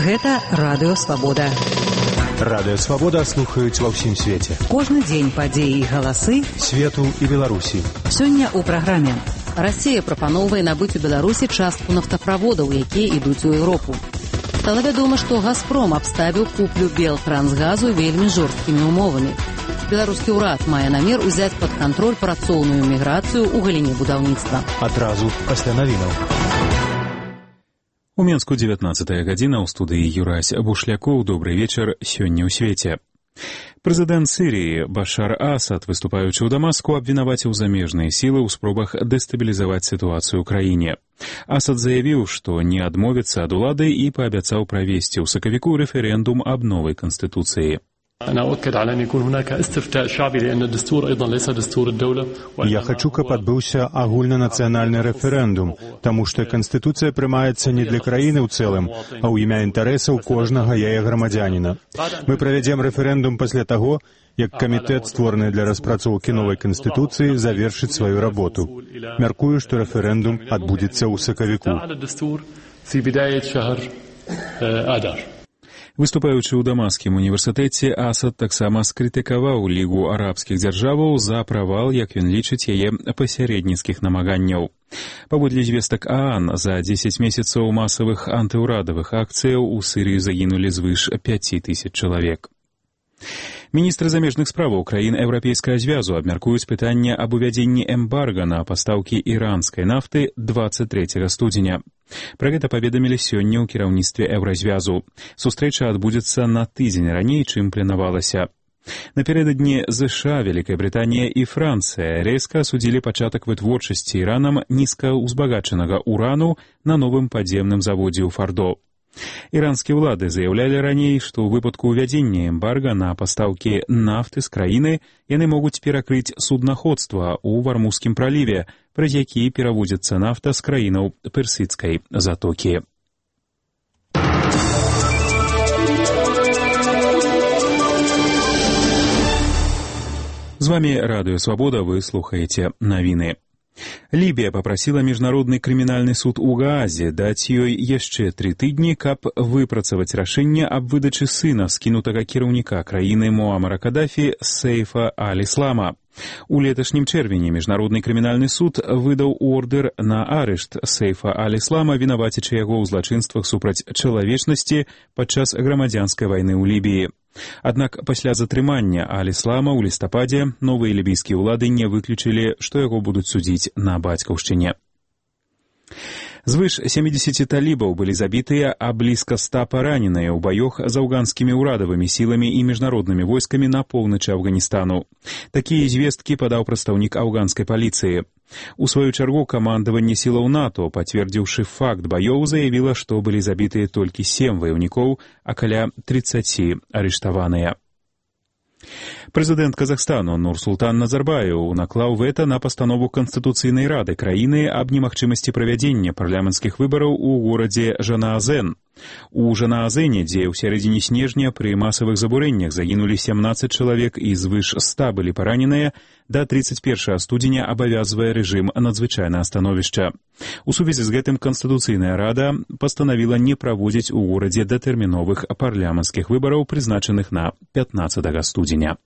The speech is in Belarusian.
Гэта Радыё Свабода. Радыё Свабода слухаюць ва ўсім свеце. Кожны дзень падзеі і галасы свету і Беларусі. Сёння ў праграме. Расія прапаноўвае набыць у Беларусі частку нафтаправодаў, якія ідуць у Еўропу. Стала вядома, што «Газпром» абставіў куплю Белтрансгазу вельмі жорсткімі умовамі. Беларускі ўрад мае намер узяць пад кантроль працоўную міграцыю ў галіне будаўніцтва. Адразу пасля навінаў. У Менску 19 гадзіна, ў студыі Юрась Бушлякоў. Добрый вечар, сёння ў свеце. Прэзідэнт Сірыі Башар Асад, выступаючы ў Дамаску, абвінаваціў замежныя сілы ў спробах дэстабілізаваць сітуацыю ў краіне. Асад заявіў, што не адмовіцца ад улады і паабяцаў правесці ў сакавіку рэферэндум аб новай канстытуцыі. Я хочу, каб адбыўся агульнанацыянальны рэферэндум, таму што канстытуцыя прымаецца не для краіны ў цэлым, а ў імя інтарэсаў кожнага яе грамадзяніна. Мы правядзем рэферэндум пасля таго, як камітэт, створаны для распрацоўкі новай канстытуцыі, завершыць сваю работу. Мяркую, што рэферэндум адбудзецца ў сакавіку. Выступаючы ў Дамаскім універсітэце, Асад таксама скрытыкаваў Лігу арабскіх дзяржаваў за правал, як ён лічыць, яе пасярэдніцкіх намаганняў. Паводле звестак ААН, за 10 месяцаў масавых антыўрадавых акцыяў у Сірыі загінулі звыш 5000 чалавек. Міністры замежных справаў краін Еўрапейскага звязу абмяркуюць пытанне аб увядзенні эмбарга на пастаўкі іранскай нафты 23 студзеня. Пра гэта паведамілі сёння ў кіраўніцтве Еўразвязу. Сустрэча адбудзецца на тыдзень раней, чым планавалася. Напярэдадні ЗША, Вялікая Брытанія і Францыя рэзка асудзілі пачатак вытворчасці Іранам нізкаўзбагачанага урану на новым падземным заводзе ў Фардо. Іранскія ўлады заяўлялі раней, што ў выпадку ўвядзення эмбарга на пастаўкі нафты з краіны яны могуць перакрыць суднаходства ў Вармузскім праліве, праз які пераводзіцца нафта з краінаў Персідскай затокі. З вамі Радыё Свабода, вы слухаеце навіны. Лібія папрасіла міжнародны крымінальны суд у Гаазе даць ёй яшчэ 3 тыдні, каб выпрацаваць рашэнне аб выдачы сына скінутага кіраўніка краіны Муамара Кадафі Сейфа аль-Іслама. У леташнім чэрвені міжнародны крымінальны суд выдаў ордэр на арышт Сейфа аль-Іслама, вінавацячы яго ў злачынствах супраць чалавечнасці падчас грамадзянскай вайны ў Лібіі. Аднак пасля затрымання аль-Іслама ў лістападзе новыя лібійскія ўлады не выключылі, што яго будуць судзіць на бацькаўшчыне. Звыш 70 талібаў былі забітыя, а блізка 100 параненыя ў баёх з афганскімі ўрадавымі сіламі і міжнароднымі войскамі на поўначы Афганістану. Такія звесткі падаў прадстаўнік афганскай паліцыі. У сваю чаргу камандаванне сілаў НАТО, пацвердзіўшы факт баёў, заявіла, што былі забітыя толькі 7 ваяўнікоў, а каля 30 арыштаваныя. Прэзідэнт Казахстану Нурсултан Назарбаеў наклаў вэта на пастанову Канстытуцыйнай рады краіны аб немагчымасці правядзення парламенцкіх выбараў у горадзе Жанаазен. У Жанаазене, дзе ў сярэдзіне снежня пры масавых забурэннях загінулі 17 чалавек і звыш 100 былі параненыя, да 31 студзеня абавязвае рэжым надзвычайнага становішча. У сувязі з гэтым Канстытуцыйная рада пастанавіла не праводзіць у горадзе датэрміновых парламенцкіх выбараў, прызначаных на 15 студзеня.